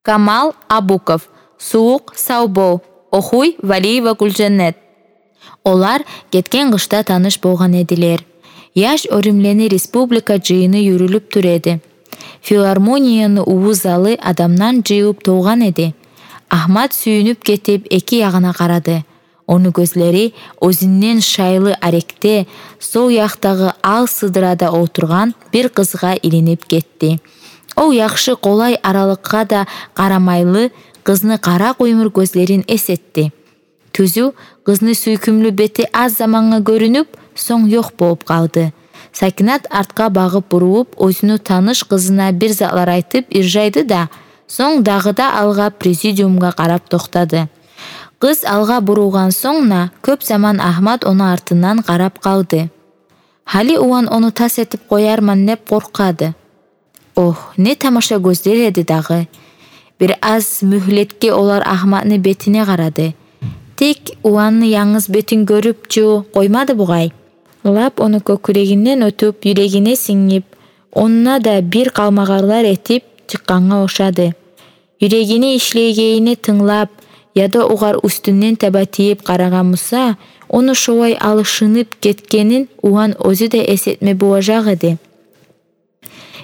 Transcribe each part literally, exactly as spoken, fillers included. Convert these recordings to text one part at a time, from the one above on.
Камал Абуков, «Сувукъ, сав бол», охуй Валиева Гюлжаннет. Олар гетген къышда таныш болгъан эдилер. Яш оьрюмлени республика жыйыны юрюлюп тура эди. Филармонияны уллу залы адамдан жыйылып толгъан эди. Агьмат сююнюп гетип, эки ягъына къарады. Ону гёзлери оьзюнден шайлы арекде, сол якъдагъы ал сыдырада олтургъан бир къызгъа илинип гетди. Ол яхшы къолай аралыкъгъа да къарамайлы, къызны къара къуймур гёзлерин эс этди. Тюзю, къызны сюйкюмлю бети аз замангъа гёрюнюп, сонг ёкъ болуп къалды. Сакинат артгъа багъып бурулуп, оьзюню таныш къызына бир затлар айтып иржайды да, сонг дагъы да алгъа президиумгъа къарап токътады. Къыз алгъа бурулгъан сонг да кёп заман Агьмат ону артындан къарап къалды. Гьали улан ону тас этип къоярман деп къоркъады. Огь, не тамаша гёзлер эди дагъы! Бир аз мюгьлетге олар Агьматны бетине къарады. Тек уланны янгыз бетин гёрюп чу къоймады бугъай. Лап ону кёкюрегинден оьтюп, юрегине сингип, онда да бир къалмагъарлар этип чыкъгъангъа ошады. Юрегини ишлейгенине тынглап, яда огъар уьстюнден таба тийип къарагъан буса, ону шолай алышынып гетгенин улан оьзю де эс этме болажакъ эди.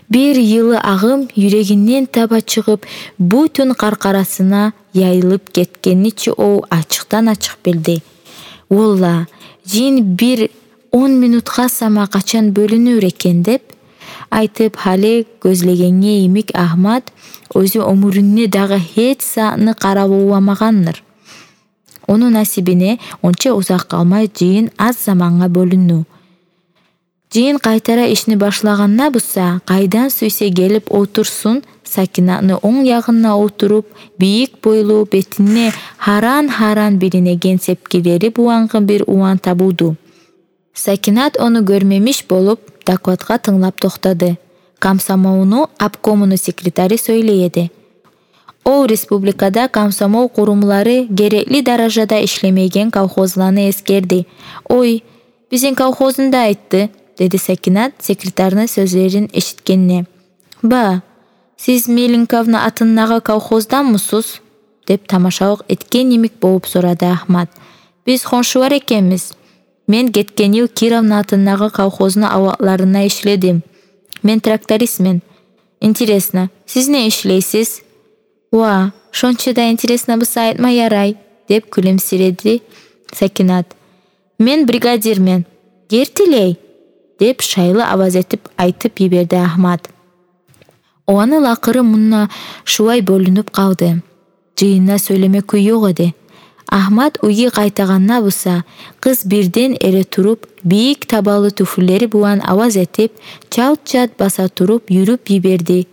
Бир йылы агъым юрегинден таба чыгъып, бютюн къаркъарасына яйылып гетгенни чи ол ачыкъдан-ачыкъ билди. «Валлагь, жин бир он минутгъа сама къачан бёлюнюр экен», — деп айтып, гьали гёзлегенге йимик, Агьмат оьзю оьмюрюнде дагъы гьеч затны къаравулламагъандыр. Ону насибине онча узакъ къалмай жыйын аз замангъа бёлюндю. Жыйын къайтара ишни башлагъанда буса, къайдан сюйсе гелип олтурсун, Сакинатны онг ягъында олтуруп, бийик бойлу, бетинде гьаран-гьаран билинеген сепкилери булангъы бир улан табулду. Сакинат ону гёрмемиш болуп, докладгъа тынглап токътады. Комсомолну обкомуну секретары сёйлей эди. Ол республикада комсомол къурумлары герекли даражада ишлемейген колхозланы эсгерди. «Ой, бизин колхозну да айтды», — деди Сакинат секретарны сёзлерин эшитгенде. «Ба, сиз Мельниковну атындагъы колхозданмысыз?» — деп тамашалыкъ этген йимик болуп сорады Агьмат. «Биз хоншулар экенбиз. Мен гетген йыл Кировну атындагъы колхозну аватларында ишледим. Мен трактористмен». «Интересно, сиз не ишлейсиз?» «Ва, шонча да интересно буса, айтма ярай», — деп кюлюмсиреди Сакинат. «Мен бригадирмен». «Гертилей?» — деп шайлы аваз этип айтып йиберди Агьмат. Оланы лакъыры мунда шулай бёлюнюп къалды. Жыйында сёйлеме кюй ёкъ эди. Агьмат уьйге къайтагъанда буса, къыз бирден эретуруп, бийик табалы тюфлилери булан аваз этип, чалт-чалт баса туруп юрюп йиберди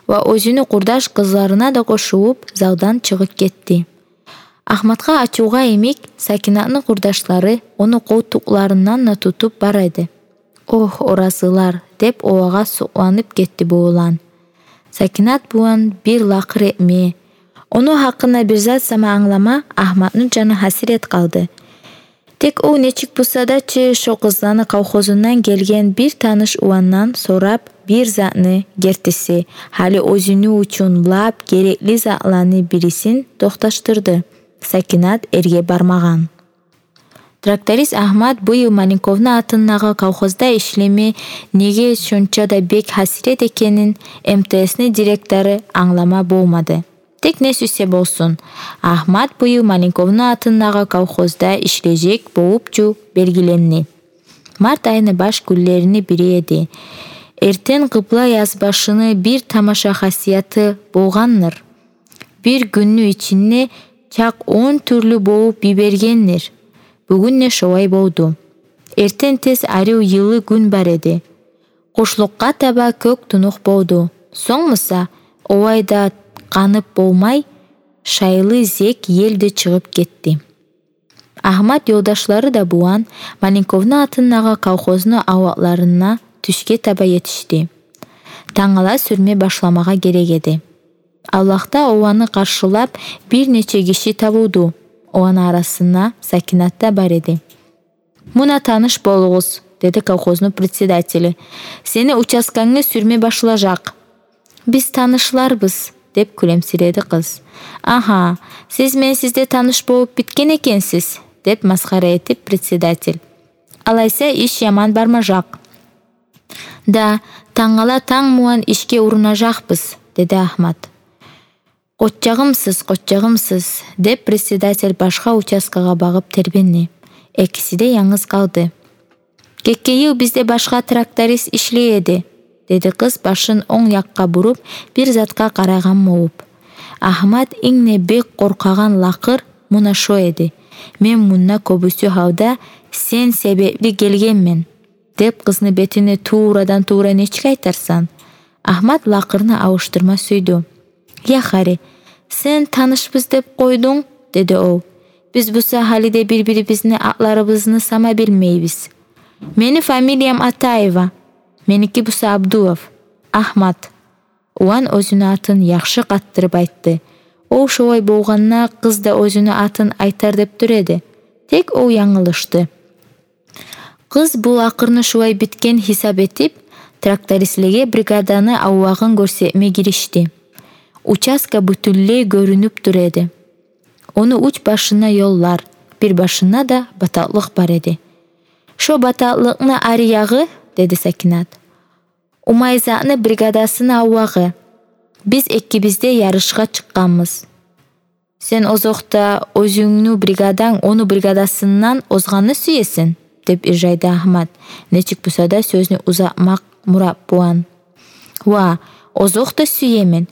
ва оьзюню къурдаш къызларына да къошулуп, залдан чыгъып гетди. Агьматгъа ачувгъа йимик, Сакинатны къурдашлары ону къолтукъларындан да тутуп бара эди. «Огь, оразылар», — деп олагъа сукъланып гетди бу улан. Сакинат булан бир лакъыр этме, ону гьакъында бир зат сама англама Агьматны жаны гьасирет къалды. Тек ол нечик буса да чы шо къызланы колхозундан гелген бир таныш уландан сорап бир затны, гертиси, гьали оьзюню учун лап герекли затланы бирисин токъташдырды. Сакинат эрге бармагъан. Тракторист Агьмат бу йыл Маленковну атындагъы колхозда ишлеме неге шонча да бек гьасирет экенин М Т С-ни директору англама болмады. Тек не сюйсе болсун, Агьмат бу йыл Маленковну атындагъы колхозда ишлежек болуп чу белгиленди. Март айны баш гюнлерини бири эди. Эртен къыбла язбашыны бир тамаша хасияты болгъандыр. Бир гюнню ичинде чакъ он тюрлю болуп йибергендир. Бугюн де шолай болду. Эртен тез арив йылы гюн бар эди. Къушлукъгъа таба кёк тунукъ болду. Сонг буса, олай да къанып болмай, шайлы зек ел де чыгъып гетди. Агьмат ёлдашлары да булан Маленковну атындагъы колхозну аватларына тюшге таба етишди. Тангала сюрме башламагъа герек эди. Авлакъда оланы къаршылап бир нече гиши табулду. Оланы арасында Сакинат да бар эди. «Муна таныш болугъуз», — деди колхозну председатели. «Сени участкангны сюрме башлажакъ». «Биз танышларбыз», — деп кюлемсиреди къыз. «Агьа, сиз менсиз де таныш болуп битген экенсиз», — деп масхара этип председатель. «Алайса, иш яман бармажакъ». «Да, тангала танг булан ишге урунажакъбыз», — деди Агьмат. «Къоччагъымсыз, къоччагъымсыз», — деп председатель башгъа участкагъа багъып тербенди. Экиси де янгыз къалды. «Гетген йыл бизде башгъа тракторист ишлей эди», — деди къыз, башын онг якъгъа буруп, бир затгъа къарайгъан болуп. Агьмат инг де бек къоркъагъан лакъыр муна шо эди. «Мен мунда кёбюсю гьалда сен себепли гелгенмен», — деп къызны бетине туврадан-тувра нечик айтарсан? Агьмат лакъырны алышдырма сюйдю. «Я хари, сен танышбыз деп къойдунг, — деди ол. — Биз буса гьали де бир-бирибизни атларыбызны сама билмейбиз. Мени фамилиям Атаева, меники буса Абдулов, Агьмат». Улан оьзюню атын яхшы къаттырып айтды. Ол шолай болгъанда, къыз да оьзюню атын айтар деп тура эди. Тек ол янгылышды. Къыз бу лакъырны шулай битген гьисап этип, трактористлеге бригаданы авлагъын гёрсетме гиришди. Участка бютюнлей гёрюнюп тура эди. Ону уьч башына ёллар, бир башына да батакълыкъ бар эди. «Шо батакълыкъны ари ягъы, — деди Сакинат, — Умайзатны бригадасыны авлагъы. Биз экибиз де ярышгъа чыкъгъанбыз». «Сен озокъда оьзюнгню бригаданг ону бригадасындан озгъанны сюесен?» — деп иржайды Агьмат, нечик буса да сёзню узатмакъ мурат булан. «Ва, озокъда сюемен.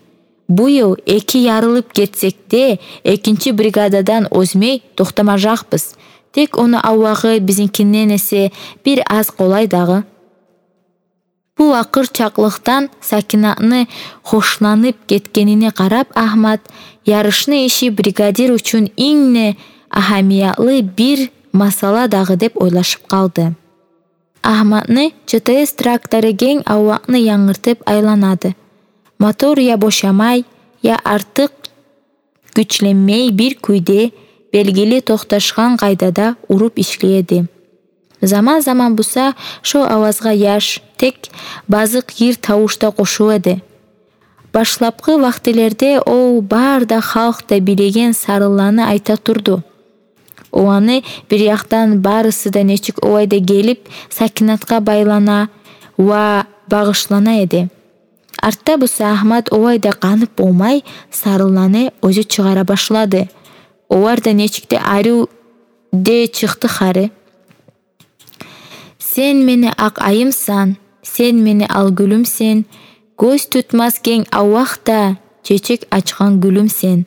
Бу йыл эки ярылып гетсек де, экинчи бригададан озмай токътамажакъбыз. Тек ону авлагъы бизинкинден эсе бир аз къолай дагъы». Бу лакъыр чакълыкъдан Сакинатны хошланып гетгенине къарап, Агьмат, ярышны иши бригадир учун инг де агьамиятлы бир масъала дагъы деп ойлашып къалды. Агьматны ЧТС трактору генг авлакъны янгыртып айланады. Мотор я бошамай, я артыкъ гючленмей, бир кюйде белгили токъташгъан къайдада уруп ишлей эди. Заман-заман буса шо авазгъа яш, тек базыкъ йыр тавуш да къошула эди. Башлапгъы вакътилерде ол бары да халкъ да билеген сарынланы айта турду. Оланы бир якъдан барысы да нечик олай да гелип Сакинатгъа байлана ва багъышлана эди. Артда буса Агьмат олай да къанып болмай сарынланы оьзю чыгъара башлады. Олар да нечик де арив де чыкъды хари. Сен мени акъ айымсан, сен мени ал гюлюмсен, гёз тутмас генг авлакъда чечек ачгъан гюлюмсен.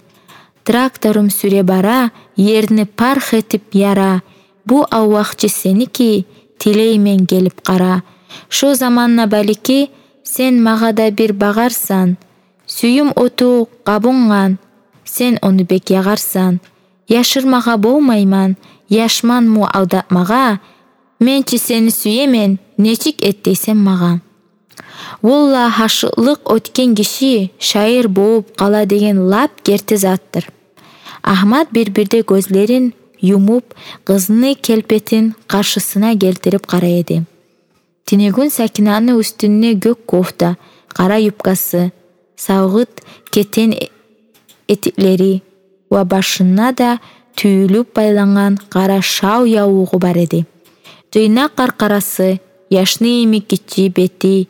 Тракторум сюре бара, ерни парх этип яра, бу авлакъ чы сеники, тилеймен, гелип къара. Шо заманда, балики, сен магъа да бир багъарсан. Сююм оту къабунгъан, сен ону бек ягъарсан. Яшырмагъа болмайман, яшман му алдатмагъа. Мен чи сени сюемен, нечик эт дейсен магъа. Валлагь, гьашыкълыкъ оьтген гиши шаир болуп къала деген лап герти затдыр. Агьмат бир-бирде гёзлерин юмуп, къызны келпетин къаршысына гелтирип къарай эди. Тюнегюн Сакинатны уьстюнде гёк кофта, къара юбкасы, савгъут кетен э-, этиклери ва башына да тюйюлюп байлангъан къара шал явлугъу бар эди. Жыйнакъ къаркъарасы, яшны йимик гиччи бети,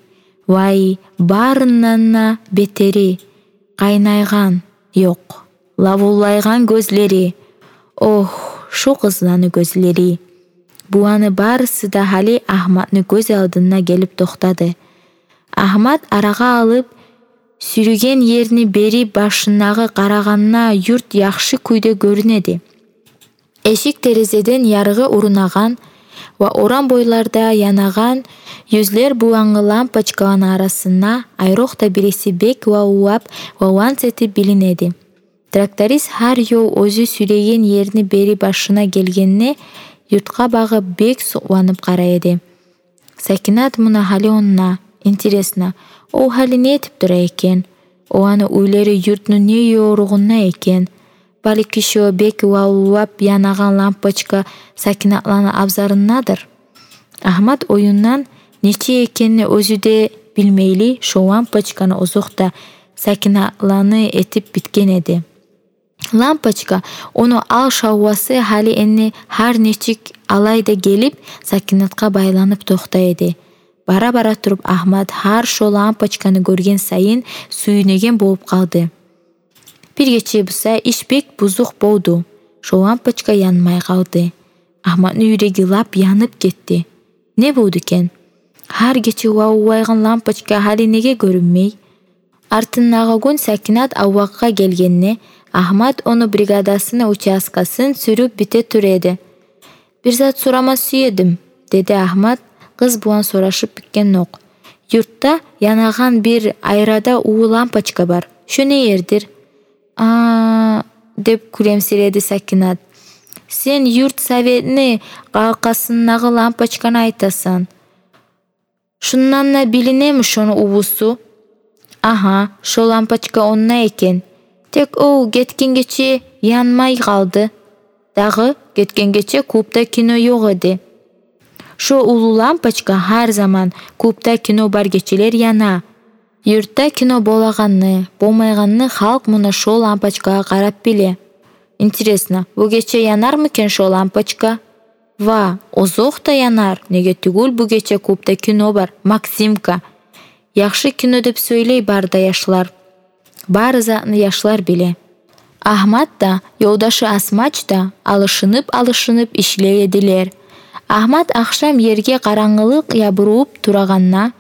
вай, барындан да бетери, къайнайгъан, ёкъ, лавуллайгъан гёзлери. Ох, шу къызланы гёзлери! Буланы барысы да гьали Агьматны гёз алдына гелип токътады. Агьмат арагъа алып сюрюген ерни бери башындагъы къарагъанда юрт яхшы кюйде гёрюне эди. Эшик-терезеден ярыгъы урунагъан ва орам бойларда янагъан юзлер булангъы лампочкаланы арасында айрокъда бириси бек лавуллап ва ланс этип билине эди. Тракторист гьар ёл оьзю сюреген ерни бери башына гелгенде юртгъа багъып бек сукъланып къарай эди. Сакинат муна гьали онда. Интересно, ол гьали не этип тура экен? Оланы уьйлери юртну не ёругъунда экен? Балики, шо бек лавуллап янагъан лампочка Сакинатланы абзарындадыр? Агьмат оюндан нечик экенни оьзю де билмейли, шо лампочканы озокъда Сакинатланы этип битген эди. Лампочка, ону ал шавласы гьали энни гьар нечик алай да гелип, Сакинатгъа байланып токътай эди. Бара-бара туруп Агьмат гьар шо лампочканы гёрген сайын сююнеген болуп къалды. Бир гече буса иш бек бузукъ болду. Шо лампочка янмай къалды. Агьматны юреги лап янып гетди. Не болду экен? Гьар гече лавлайгъан лампочка гьали неге гёрюнмей? Артындагъы гюн Сакинат авлакъгъа гелгенде, Агьмат ону бригадасыны участкасын сюрюп бите тура эди. «Бир зат сорама сюе эдим», — деди Агьмат, къыз булан сорашып битгенокъ. «Юртда янагъан бир айрада уллу лампочка бар. Шо не ердир?» «А-а», — деп кюлемсиреди Сакинат. «Сен юрт советни къалкъасындагъы лампочканы айтасан. Шундан да билинеми шону уллусу?» «Агьа, шо лампочка онда экен. Тек ол гетген гече янмай къалды. Дагъы гетген гече клубда кино ёкъ эди». «Шо уллу лампочка гьар заман клубда кино бар гечелер яна. Юртда кино болагъанны, болмайгъанны халкъ муна шо лампочкагъа къарап биле». «Интересно, бу гече янармы экен шо лампочка?» «Ва, озокъда янар, неге тюгюл, бу гече клубда кино бар, «Максимка». Яхшы кино деп сёйлей бары да яшлар. Бары затны яшлар биле». Агьмат да, ёлдашы Асмач да алышынып-алышынып ишлей эдилер. Агьмат ахшам ерге къарангылыкъ ябуруп турагъанда,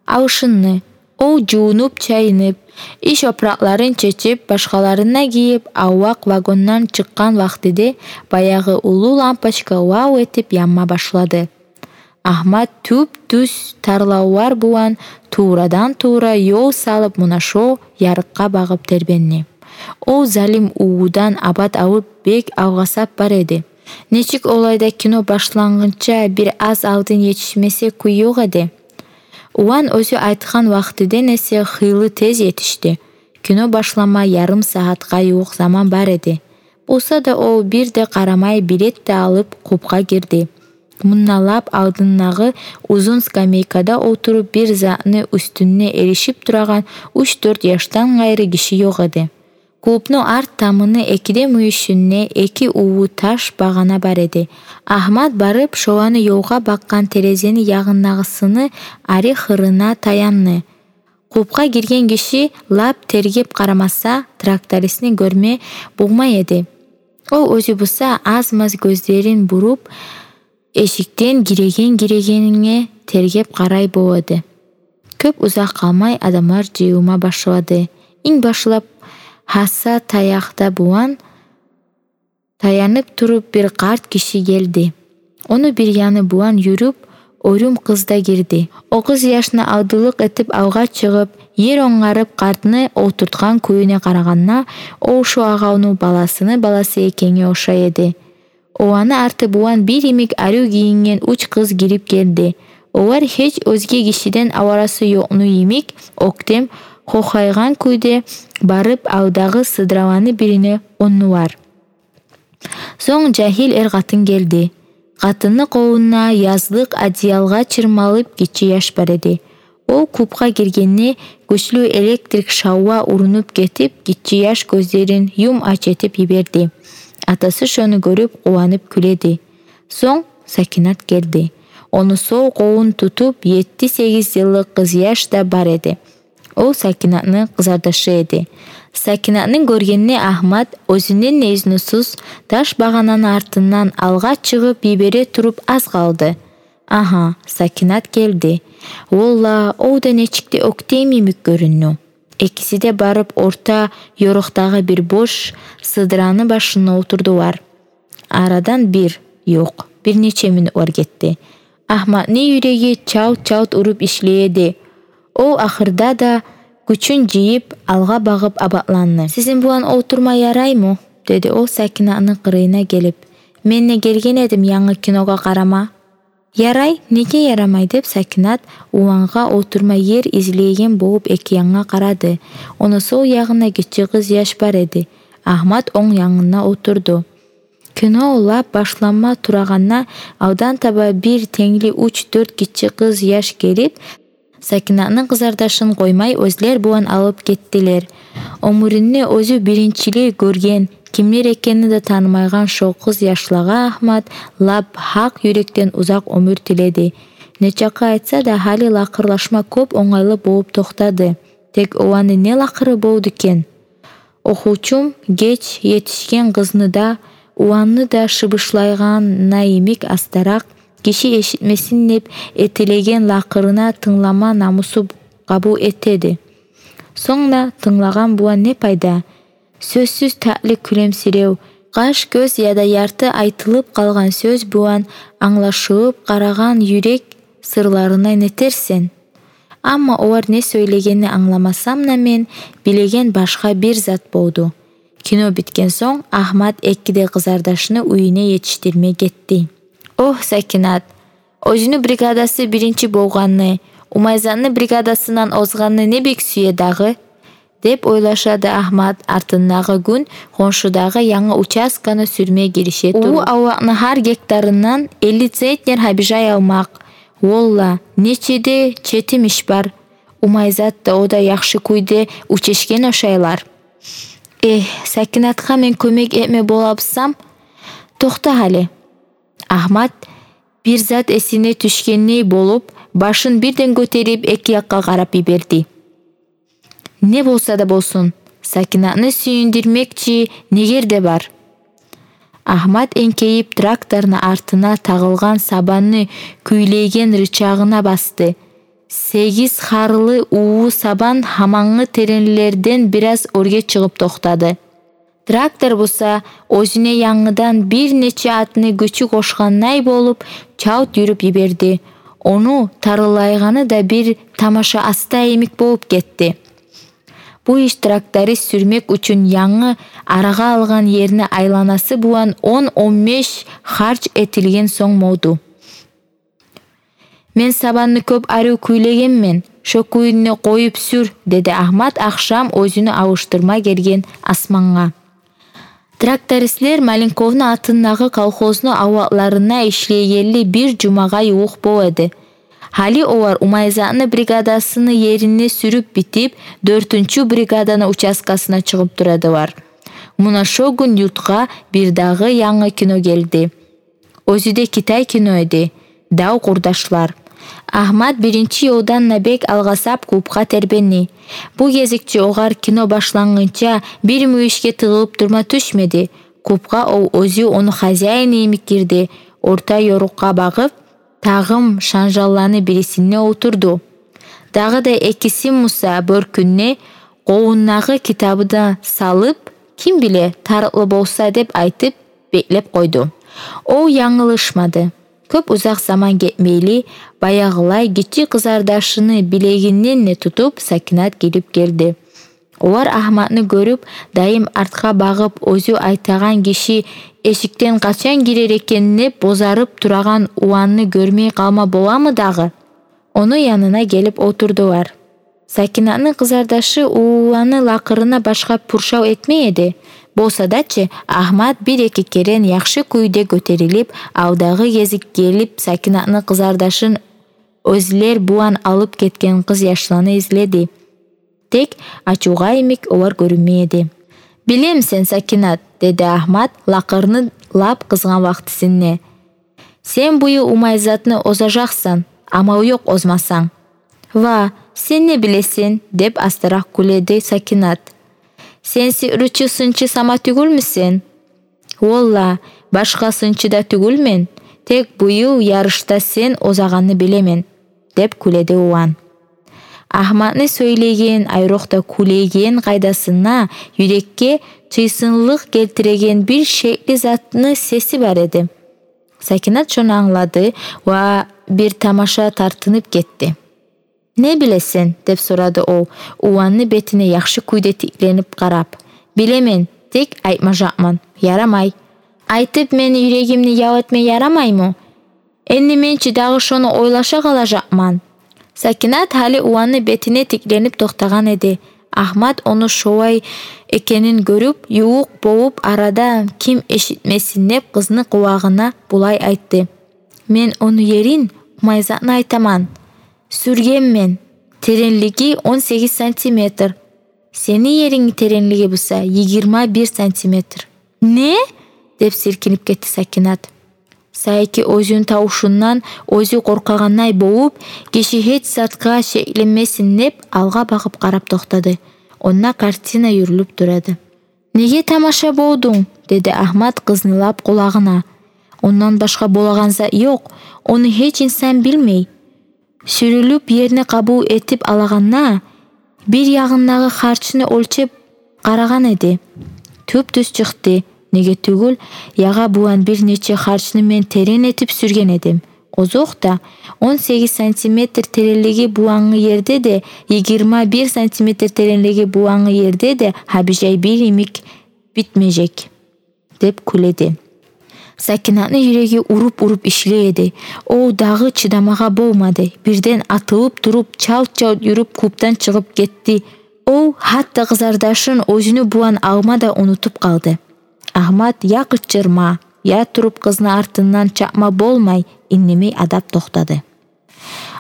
алышынды. Ол жувунуп-чайынып, иш опуракъларын чечип, башгъаларын да гийип, авлакъ вагондан чыкъгъан вакътиде баягъы уллу лампочка лав этип янма башлады. Агьмат тюп-тюз тарлавлар булан туврадан-тувра ёл салып, муна шо ярыкъгъа багъып тербенди. Ол залим уллудан абат алып, бек алгъасап бар эди. Нечик олай да кино башлангъынча бир аз алдын етишмесе кюй ёкъ эди. Улан оьзю айтгъан вакътиден эсе хыйлы тез етишди. Кино башлама ярым сагьатгъа ювукъ заман бар эди. Болса да ол бир де къарамай билет де алып, клубгъа гирди. Мунда лап алдындагъы узун скамейкада олтуруп, бир затны уьстюнде эришип турагъан уьч-дёрт яшдан къайры гиши ёкъ эди. Клубну арт тамыны экиде мюйюшюнде эки уллу таш багъана бар эди. Агьмат барып, шоланы ёлгъа бакъгъан терезени ягъындагъысыны ари хырына таянды. Клубгъа гирген гиши лап тергеп къарамаса, трактористни гёрме болмай эди. Ол оьзю буса аз-маз гёзлерин буруп, эшикден гиреген-гирегенине тергеп къарай бола эди. Кёп узакъ къалмай адамлар жыйылма башлады. Инг башлап гьаса таякъда булан таянып туруп бир къарт гиши гелди. Ону бир яны булан юрюп, оьрюм къыз да гирди. О къыз яшны алдылыкъ этип алгъа чыгъып, ер онгарып къартны олтуртгъан кююне къарагъанда, ол шо агъавну баласыны баласы экенге ошай эди. Оланы арты булан бир йимик арив гийинген уьч къыз гирип гелди. Олар гьеч оьзге гишиден аварасы ёкъну йимик, оьктем, хокъайгъан кюйде барып, алдагъы сыдраланы бирине къондулар. Сонг жагьил эр-къатын гелди. Къатынны къолунда язлыкъ одеялгъа чырмалып гиччи яш бар эди. Ол клубгъа гиргенде, гючлю электрик шавла урунуп гетип, гиччи яш гёзлерин юм-ач этип йиберди. Атасы шону гёрюп, къуванып кюледи. Сонг Сакинат гелди. Ону сол къолун тутуп етти-сегиз йыллыкъ къыз яш да бар эди. Ол Сакинатны къызардашы эди. Сакинатны гёргенде Агьмат, оьзюнден де изнусуз, таш багъананы артындан алгъа чыгъып йибере туруп аз къалды. Агьа, Сакинат гелди. Валлагь, ол да нечик де оьктем йимик гёрюндю. Экиси де барып орта ёрукъдагъы бир бош сыдраны башына олтурдулар. Арадан бир, ёкъ, бир нече минутлар гетди. Агьматны юреги чалт-чалт уруп ишлей эди. Ол ахырда да гючюн жыйып, алгъа багъып абатланды. «Сизин булан олтурма ярайму?» — деди ол Сакинатны къырыйына гелип. «Мен де гелген эдим янгы киногъа къарама». «Ярай, неге ярамай?» — деп Сакинат улангъа олтурма ер излейген болуп эки янгъа къарады. Ону сол ягъында гиччи къыз яш бар эди. Агьмат онг янында олтурду. Кино лап башланма турагъанда, алдан таба бир тенгли уьч-дёрт гиччи къыз яш гелип, Сакинатны къызардашын къоймай, оьзлер булан алып гетдилер. Оьмюрюнде оьзю биринчилей гёрген, кимлер экенни де танымайгъан шо къыз яшлагъа Агьмат лап гьакъ юрекден узакъ оьмюр тиледи. Нечакъы айтса да, гьали лакъырлашма кёп онгайлы болуп токътады. Тек оланы не лакъыры болду экен? Охувчум геч етишген къызны да, уланны да шыбышлайгъан йимик астаракъ, гиши эшитмесин деп этилеген лакъырына тынглама намусу къабул этеди. Сонг да тынглагъан булан не пайда? Сёзсюз татли кюлемсирев, къаш-гёз яда ярты айтылып къалгъан сёз булан англашылып къарагъан юрек сырларына нетерсен? Амма олар не сёйлегенни англамасам да, мен билеген башгъа бир зат болду. Кино битген сонг Агьмат эки де къызардашны уьюне етишдирме гетди. Огь, Сакинат, оьзюню бригадасы биринчи болгъанны, Умайзатны бригадасындан озгъанны не бек сюе дагъы? — деп ойлашады Агьмат, артындагъы гюн хоншудагъы янгы участканы сюрме гирише туруп. Уллу авлакъны гьар гектарындан элли центнер гьабижай алмакъ. Валлагь, нече де четим иш бар. Умайзат да, о да яхшы кюйде уьчешген ошайлар. Эх, Сакинатгъа мен кёмек этме болабызсам. Токъта гьали. Агьмат бир зат эсине тюшгендей болуп, башын бирден гётерип, эки якъгъа къарап йиберди. Не болса да болсун, Сакинатны сююндюрмекчи негер де бар. Агьмат энкейип, тракторну артына тагъылгъан сабанны кюйлейген рычагына басды. Сегиз харлы уллу сабан гьамангы теренлерден бираз оьрге чыгъып токътады. Трактор буса, оьзюне янгыдан бир нече атны гючю къошгъандай болуп, чалт юрюп йиберди. Ону тарылайгъаны да бир тамаша аста йимик болуп гетди. Бу иш тракторист сюрмек учун янгы арагъа алгъан ерни айланасы булан он-он беш харж этилген сонг болду. Мен сабанны кёп арив кюйлегенмен, шо кюйюнде къоюп сюр, — деди Агьмат ахшам оьзюню алышдырма гелген Османгъа. Трактористлер Маленковну атындагъы колхозну авлакъларына ишлейгенли бир жумагъа ювукъ бола эди. Гьали олар Умайзатны бригадасыны ерине сюрюп битип, дёртюнчю бригаданы участкасына чыгъып турадылар. Муна шо гюн юртгъа бирдагъы янгы кино гелди. Оьзю де китай кино эди. «Дав къурдашлар». Агьмат биринчи ёлдан да бек алгъасап клубгъа тербенди. Бу гезикче огъар кино башлангъынча бир мюйюшге тыгъылып турма тюшмеди. Клубгъа ол оьзю ону хозяини йимик гирди. Орта ёрукъгъа багъып, тагъым шанжалланы бирисинде олтурду. Дагъы да экиси буса бёркюнде къолундагъы китабын да салып, ким биле, тарыкълы болса деп айтып, беклеп къойду. Ол янгылышмады. Кёп узакъ заман гетмейли, баягъылай гиччи къызардашыны билегинден де тутуп, Сакинат гирип гелди. Олар Агьматны гёрюп, дайым артгъа багъып, оьзю айтагъан гиши эшикден къачан гирер экен деп бозарып турагъан уланны гёрмей къалма боламы дагъы? Ону янына гелип олтурдулар. Сакинатны къызардашы уллуланы лакъырына башгъа пуршав этмей эди. Болса да чы, Агьмат бир-эки керен яхшы кюйде гётерилип, алдагъы гезик гелип, Сакинатны къызардашын оьзлер булан алып гетген къыз яшланы изледи. Тек ачувгъа йимик олар гёрюнмей эди. «Билемисен, Сакинат, — деди Агьмат лакъырны лап къызгъан вакътисинде, — сен бу йыл Умайзатны озажакъсан, амал ёкъ озмасанг». «Ва, сен не билесен?» — деп астаракъ кюледи Сакинат. «Сен сигьручу-сынчы сама тюгюлмюсен?» «Валлагь, башгъа сынчы да тюгюлмен, тек бу йыл ярышда сен озагъанны билемен», — деп кюледи улан. Агьматны сёйлейген, айрокъда кюлейген къайдасына юрекге чыйсынлыкъ гелтиреген бир шекли затны сеси бар эди. Сакинат шону англады ва бир тамаша тартынып гетди. «Не билесен?» — деп сорады ол, уланны бетине яхшы кюйде тикленип къарап. «Билемен, тек айтмажакъман». «Ярамай». «Айтып, мени юрегимни ял этме ярамаймы? Энни мен чи дагъы шону ойлаша къалажакъман». Сакинат гьали уланны бетине тикленип токътагъан эди. Агьмат ону шолай экенин гёрюп, ювукъ болуп, арада ким эшитмесин деп, къызны къулагъына булай айтды: «Мен ону ерин, Умайзатны, айтаман. Сюргенмен. теренлиги он сегиз сантиметр. Сени ерингни теренлиги буса йигирма бир сантиметр». «Не?» — деп силкинип гетди Сакинат. Сайки оьзюню тавушундан оьзю къоркъагъандай болуп, гиши гьеч затгъа шекленмесин деп, алгъа багъып къарап токътады. Онда картина юрюлюп турады. «Неге тамаша болдунг?» — деди Агьмат къызны лап къулагъына. «Ондан башгъа болагъан зат ёкъ, ону гьеч инсан билмей. Сюрюлюп, ерни къабул этип алагъанда, бир ягъындагъы харчны оьлчеп къарагъан эди. Тюп-тюз чыкъды. Неге тюгюл, ягъа булан бир нече харчны мен терен этип сюрген эдим. Озокъда, он сегиз сантиметр теренлиги булангъы ерде де, йигирма бир сантиметр теренлиги булангъы ерде де гьабижай бир йимик битмежек», — деп кюледи. Сакинатны юреги уруп-уруп ишлей эди. О дагъы чыдамагъа болмады. Бирден атылып туруп, чалт-чалт юрюп, клубдан чыгъып гетди. О гьатта къызардашын оьзюню булан алма да унутуп къалды. Агьмат я къычырма, я туруп къызны артындан чапма болмай, индемей адап токътады.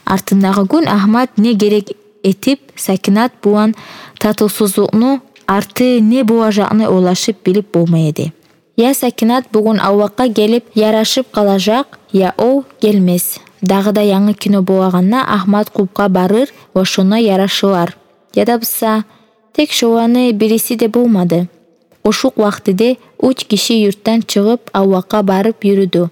Артындагъы гюн Агьмат не герек этип Сакинат булан татывсузлукъну арты не болажакъны ойлашып билип болмай эди. Я Сакинат бугюн авлакъгъа гелип ярашып къалажакъ, я о гелмес. Дагъы да янгы кино болагъанда Агьмат клубгъа барыр ва шонда ярашылар. Яда буса, тек шоланы бириси де болмады. Ошукъ вакътиде уьч гиши юртдан чыгъып авлакъгъа барып юрюдю.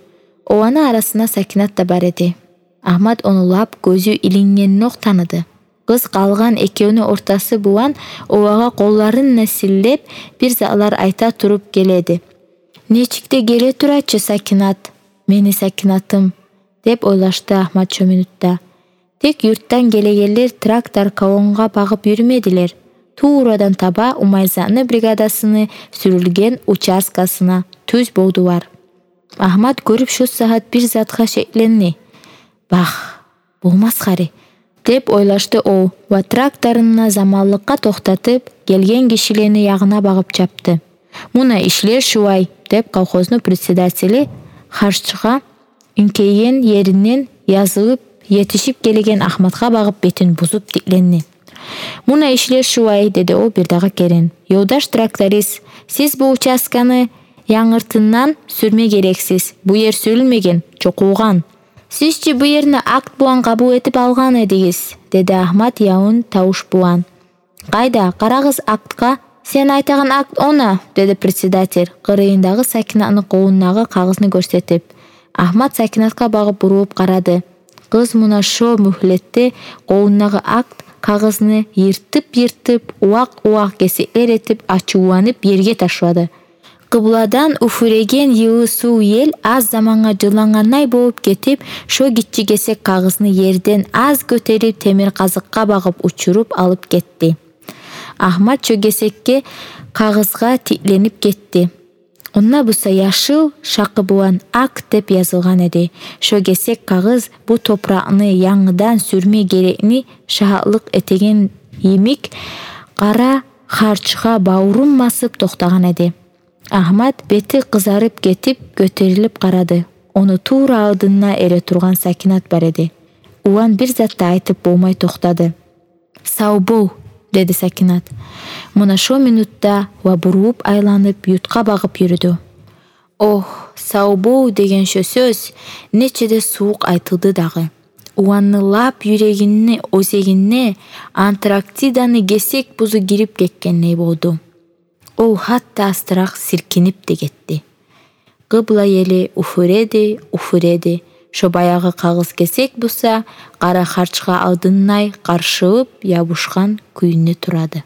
Оланы арасында Сакинат да бар эди. Агьмат ону лап гёзю илингендокъ таныды. Къыз къалгъан экевню ортасы булан олагъа къолларын да силлеп, бир затлар айта туруп геледи. «Нечик де геле тура чы Сакинат, мени Сакинатым», — деп ойлашды Агьмат шо минутда. Тек юртдан гелегенлер трактор колоннагъа багъып юрюмедилер. Туврадан таба Умайзатны бригадасыны сюрюлген участкасына тюз болдулар. Агьмат гёрюп шо сагьат бир затгъа шекленди. «Бах, болмас гьари», — деп ойлашды о ва тракторун да заманлыкъгъа токътатып, гелген гишилени ягъына багъып чапды. «Муна ишлер шулай», — деп колхозну председатели харчгъа инкейген еринден язылып етишип гелеген Агьматгъа багъып бетин бузуп тикленди. «Муна ишлер шулай», — деди о бирдагъы керен. «Ёлдаш тракторист, сиз бу участканы янгыртындан сюрме герексиз. Бу ер сюрюлмеген, чокъулгъан». «Сиз чи бу ерни акт булан къабул этип алгъан эдигиз», — деди Агьмат ялын тавуш булан. «Къайда, къарагъыз актгъа». «Сен айтагъан акт она», — деди председатель, къырыйындагъы Сакинатны къолундагъы кагъызны гёрсетип. Агьмат Сакинатгъа багъып бурулуп къарады. Къыз муна шо мюгьлетде къолундагъы акт кагъызны йыртып-йыртып, увакъ-увакъ гесеклер этип, ачувланып ерге ташлады. Къыбладан уьфюреген йылы сув ел аз замангъа жылангъандай болуп гетип, шо гиччи гесек кагъызны ерден аз гётерип, темир къазыкъгъа багъып учуруп алып гетди. Агьмат шо гесекге, кагъызгъа тикленип гетди. Онда буса яшыл шакъы булан акт деп язылгъан эди. Шо гесек кагъыз бу топуракъны янгыдан сюрме герекни шагьатлыкъ этеген йимик, къара харчгъа бавурун басып токътагъан эди. Агьмат бети къызарып гетип, гётерилип къарады. Ону тувра алдында эретургъан Сакинат бар эди. Улан бир зат да айтып болмай токътады. «Сав бол», — деди Сакинат. Муна шо минутда ва бурулуп айланып юртгъа багъып юрюдю. Ох, «сав бол» деген шо сёз нече де сувукъ айтылды дагъы. Уланны лап юрегини оьзегине Антарктиданы гесек бузу гирип гетгендей болду. Ол гьатта астыракъ силкинип де гетди. Къыбла ели уьфюреди, уьфюреди. Шо баягъы кагъыз гесек буса, къара харчгъа алдындай къаршылып ябушгъан кюйде турады.